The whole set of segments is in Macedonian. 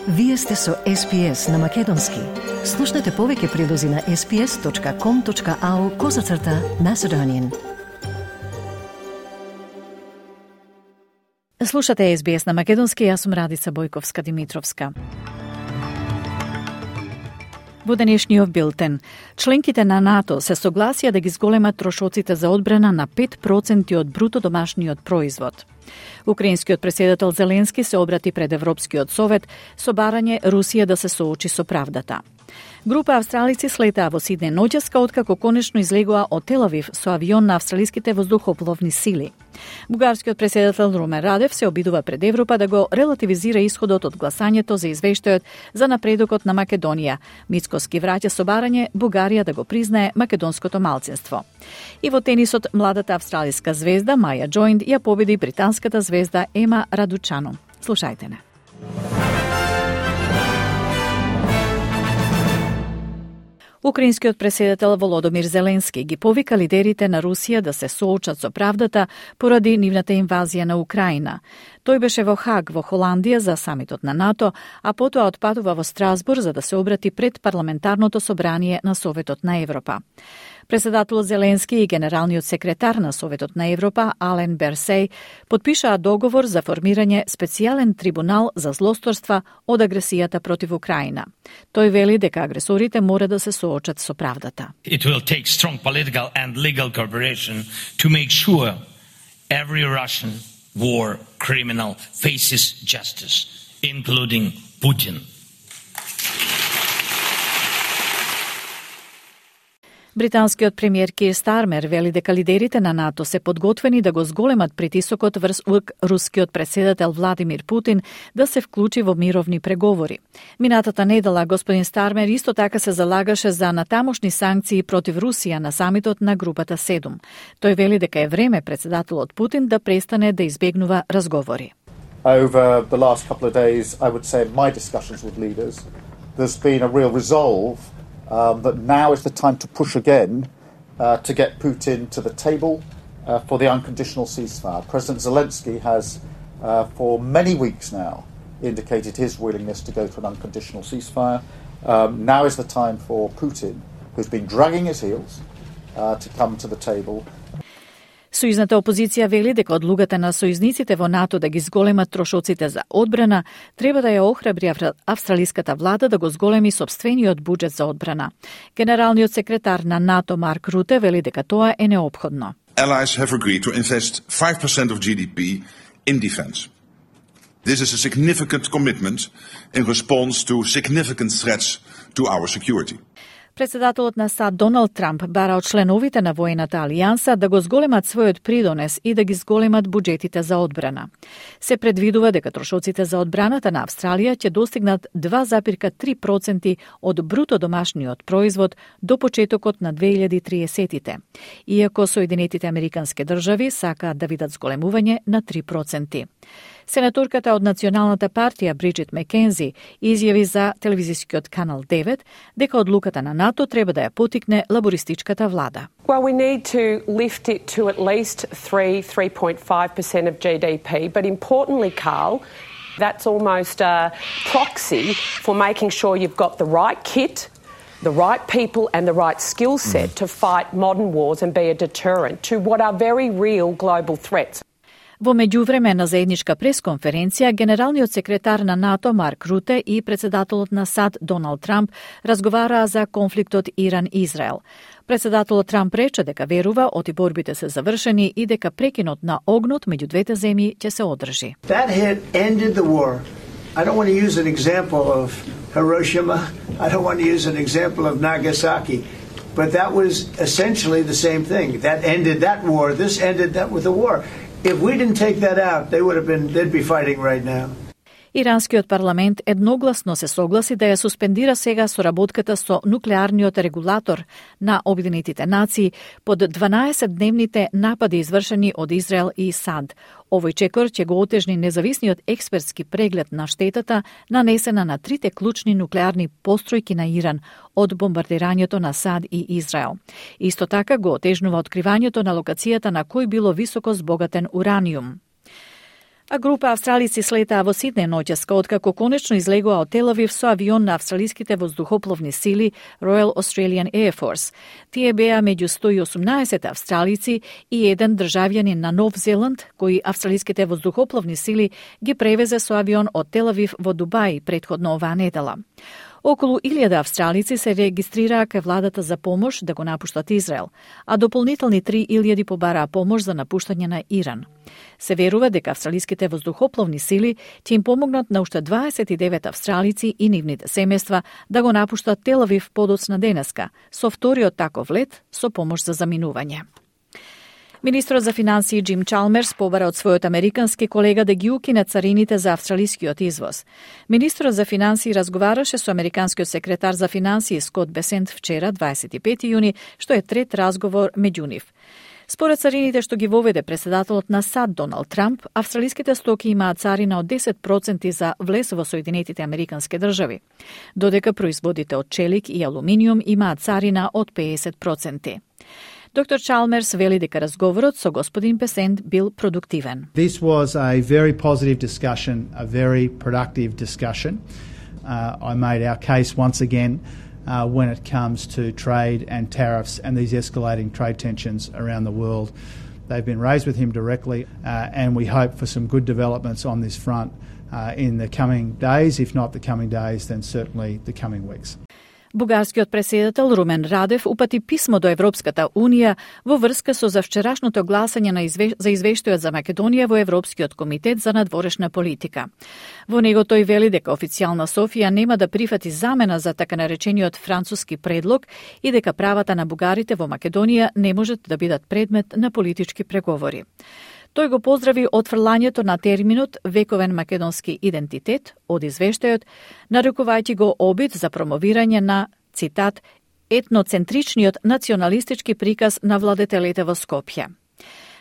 Вие сте со SPS на Македонски. Слушнете повеќе прилози на sps.com.au/Macedonian. Слушате SBS на Македонски, јас сум Радица Бојковска-Димитровска. Во денешниот билтен, членките на НАТО се согласија да ги зголемат трошоците за одбрана на 5% од бруто домашниот производ. Украинскиот претседател Зеленски се обрати пред Европскиот совет со барање Русија да се соочи со правдата. Група австралици слетаа во Сиднеј ноќеска откако конечно излегоа од Тел Авив со авион на австралиските воздухопловни сили. Бугарскиот претседател Румен Радев се обидува пред Европа да го релативизира исходот од гласањето за извештајот за напредокот на Македонија. Мицкоски враќа со барање Бугарија да го признае македонското малцинство. И во тенисот, младата австралиска звезда Маја Джоинд ја победи британската звезда Ема Радучано. Слушајте не. Украинскиот претседател Володомир Зеленски ги повика лидерите на Русија да се соочат со правдата поради нивната инвазија на Украина. Тој беше во Хаг во Холандија за самитот на НАТО, а потоа отпатува во Страсбург за да се обрати пред парламентарното собрание на Советот на Европа. Претседателот Зеленски и генералниот секретар на Советот на Европа Ален Берсеј потпишаа договор за формирање специјален трибунал за злосторства од агресијата против Украина. Тој вели дека агресорите мора да се соочат со правдата. It will take strong political and legal cooperation to make sure every Russian war criminal faces justice, including Putin. Британскиот премиер Кир Стармер вели дека лидерите на НАТО се подготвени да го зголемат притисокот врз рускиот претседател Владимир Путин да се вклучи во мировни преговори. Минатата недела господин Стармер исто така се залагаше за натамошни санкции против Русија на самитот на групата 7. Тој вели дека е време претседателот Путин да престане да избегнува разговори. Over the last couple of days, I would say in my discussions with leaders, there's been a real resolve that now is the time to push again to get Putin to the table for the unconditional ceasefire. President Zelensky has, for many weeks now, indicated his willingness to go to an unconditional ceasefire. Now is the time for Putin, who's been dragging his heels, to come to the table. Сојузната опозиција вели дека одлугата на сојузниците во НАТО да ги зголемат трошоците за одбрана треба да ја охрабри австралиската влада да го зголеми сопствениот буџет за одбрана. Генералниот секретар на НАТО Марк Руте вели дека тоа е неопходно. Allies have agreed to invest 5% of GDP in defense. This is a significant commitment in response to significant threats to our security. Председателот на САД Доналд Трамп бара од членовите на воената алијанса да го зголемат својот придонес и да ги зголемат буџетите за одбрана. Се предвидува дека трошоците за одбраната на Австралија ќе достигнат 2,3% од бруто домашниот производ до почетокот на 2030-тите, иако Соединетите Американски држави сакаат да видат зголемување на 3%. Сенаторката од Националната партија Бриджит Мекензи изјави за телевизискиот канал 9 дека одлуката на НАТО треба да ја потикне лабористичката влада. Well, we need to lift it to at least 3.5% of GDP, but importantly, Carl, that's almost a proxy for making sure you've got the right kit, the right people and the right skill set to fight modern wars and be a deterrent to what are very real global threats. Во меѓувреме на заедничка пресконференција, генералниот секретар на НАТО Марк Руте и председателот на САД Доналд Трамп разговараа за конфликтот Иран-Израел. Председателот Трамп рече дека верува оти борбите се завршени и дека прекинот на огнот меѓу двете земји ќе се одржи. That hit ended the war. I don't want to use an example of Hiroshima. I don't want to use an example of Nagasaki. But that was essentially the same thing. That ended that war. This ended that with the war. If we didn't take that out, they'd be fighting right now. Иранскиот парламент едногласно се согласи да ја суспендира сега соработката со нуклеарниот регулатор на Обединетите нации под 12-дневните напади извршени од Израел и САД. Овој чекор ќе го отежни независниот експертски преглед на штетата нанесена на трите клучни нуклеарни постројки на Иран од бомбардирањето на САД и Израел. Исто така го отежнува откривањето на локацијата на кој било високо збогатен ураниум. А група австралици слетаа во Сиднеј ноќеска откако конечно излегоа од Тел Авив со авион на австралиските воздухопловни сили Royal Australian Air Force. Тие беа меѓу 118 австралици и еден државјанин на Нов Зеланд, кои австралиските воздухопловни сили ги превезе со авион од Тел Авив во Дубај претходно оваа недела. Околу 1000 австралици се регистрираа кај владата за помош да го напуштат Израел, а дополнителни 3000 побараа помош за напуштање на Иран. Се верува дека австралиските воздухопловни сили ќе им помогнат на уште 29 австралици и нивните семејства да го напуштат Тел Авив подоцна денеска, со вториот таков лет со помош за заминување. Министрот за финансии Джим Чалмерс побара од својот американски колега да ги укине царините за австралискиот извоз. Министрот за финансии разговараше со американскиот секретар за финансии Скот Бесент вчера, 25 јуни, што е трет разговор меѓу нив. Според царините што ги воведе председателот на САД Доналд Трамп, австралиските стоки имаат царина од 10% за влез во Соединетите Американски држави, додека производите од челик и алуминиум имаат царина од 50%. Доктор Чалмерс вели дека разговорот со господин Бесент бил продуктивен. This was a very positive discussion, a very productive discussion. I made our case once again when it comes to trade and tariffs and these escalating trade tensions around the world. They've been raised with him directly and we hope for some good developments on this front in the coming days, if not the coming days, then certainly the coming weeks. Бугарскиот претседател Румен Радев упати писмо до Европската Унија во врска со завчерашното гласање за извештајот за Македонија во Европскиот комитет за надворешна политика. Во него тој вели дека официјална Софија нема да прифати замена за така наречениот француски предлог и дека правата на бугарите во Македонија не можат да бидат предмет на политички преговори. Тој го поздрави отфрлањето на терминот вековен македонски идентитет од извештајот, нарекувајќи го обид за промовирање на, цитат, етноцентричниот националистички приказ на владетелите во Скопје.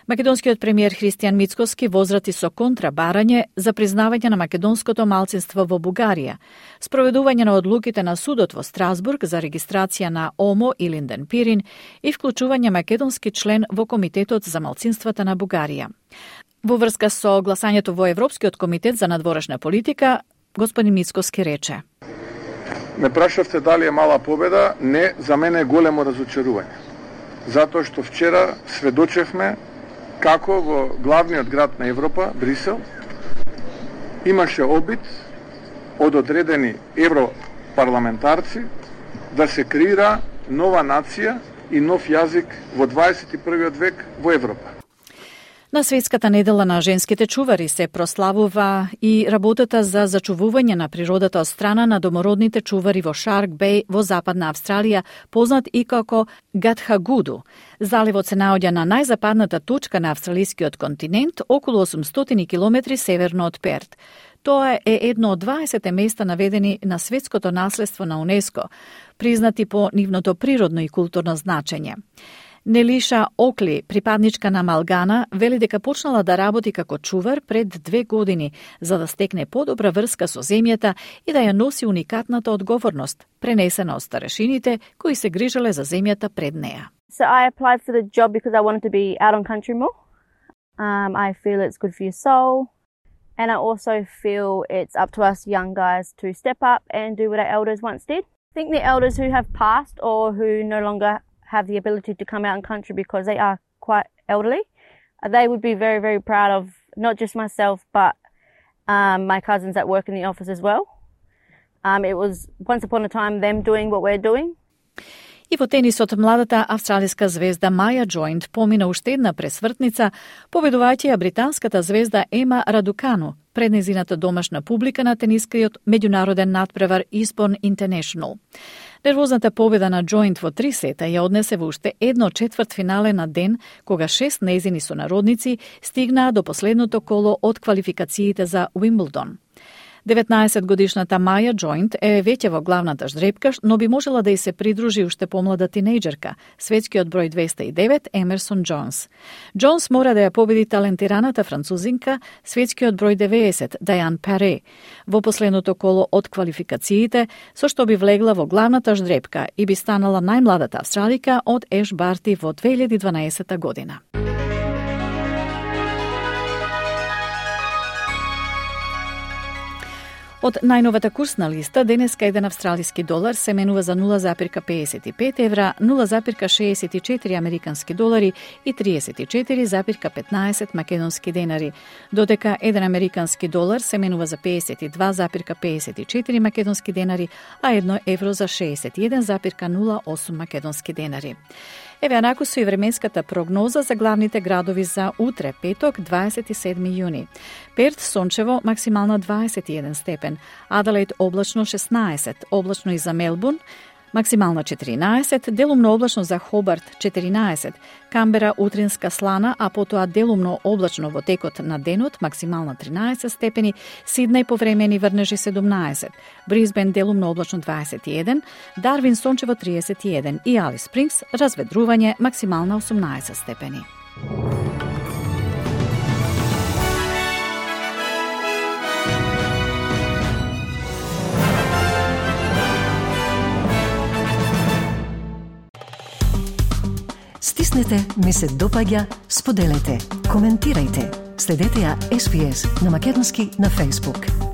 Македонскиот премиер Христијан Мицкоски возврати со контрабарање за признавање на македонското малцинство во Бугарија, спроведување на одлуките на судот во Страсбург за регистрација на ОМО и Линден Пирин и вклучување македонски член во Комитетот за малцинствата на Бугарија. Во врска со гласањето во Европскиот комитет за надворешна политика, господин Мицкоски рече: Ме прашавте дали е мала победа, не, за мене е големо разочарување. Затоа што вчера сведочевме како во главниот град на Европа, Брисел, имаше обид од одредени европарламентарци да се креира нова нација и нов јазик во 21. век во Европа. На Светската недела на женските чувари се прославува и работата за зачувување на природата од страна на домородните чувари во Шарк Беј во Западна Австралија, познат и како Гатхагуду. Заливот се наоѓа на најзападната точка на австралискиот континент, околу 800 км северно од Перт. Тоа е едно од 20 места наведени на светското наследство на УНЕСКО, признати по нивното природно и културно значење. Нелиша Окли, припадничка на Малгана, вели дека почнала да работи како чувар пред 2 години, за да стекне подобра врска со земјата и да ја носи уникатната одговорност, пренесена од старешините кои се грижеле за земјата пред неа. So I applied for the job because I wanted to be out on country more. I feel it's good for your soul, and I also feel it's up to us young guys to step up and do what our elders once did. I think the elders who have passed or who no longer have the ability to come out in country because they are quite elderly, they would be very, very proud of not just myself but my cousins that work in the office as well. It was once upon a time them doing what we're doing. И во тенисот младата австралиска звезда Маја Джоинт помина уште една пресвртница, победувајќи ја британската звезда Ема Радукану пред незината домашна публика на тенискиот меѓународен натпревар Eastbourne International. Нервозната победа на Джоинт во 3 сета ја однесе во уште едно четвртфинале на ден, кога 6 незини сонародници стигнаа до последното коло од квалификациите за Уимблдон. 19-годишната Маја Джоинт е веќе во главната ждрепка, но би можела да й се придружи уште помлада тинејџерка, светскиот број 209 Емерсон Джонс. Джонс мора да ја победи талентираната французинка, светскиот број 90 Дајан Паре, во последното коло од квалификациите, со што би влегла во главната ждрепка и би станала најмладата австралика од Еш Барти во 2012 година. Од најновата курсна листа, денеска еден австралиски долар се менува за 0,55 евра, 0,64 американски долари и 34,15 македонски денари, додека еден американски долар се менува за 52,54 македонски денари, а 1 евро за 61,08 македонски денари. Еве анаку со и временската прогноза за главните градови за утре, петок, 27 јуни. Перт сончево, максимална 21 степен. Аделаид облачно 16, облачно и за Мелбурн, максимална 14, делумно облачно за Хобарт 14, Камбера утринска слана, а потоа делумно облачно во текот на денот, максимална 13 степени, Сиднеј повремени врнежи 17, Брисбен делумно облачно 21, Дарвин сончево 31 и Алис Спрингс разведрување, максимална 18 степени. Стиснете, ми се допаѓа, споделете, коментирајте. Следете ја SPS на Македонски на Facebook.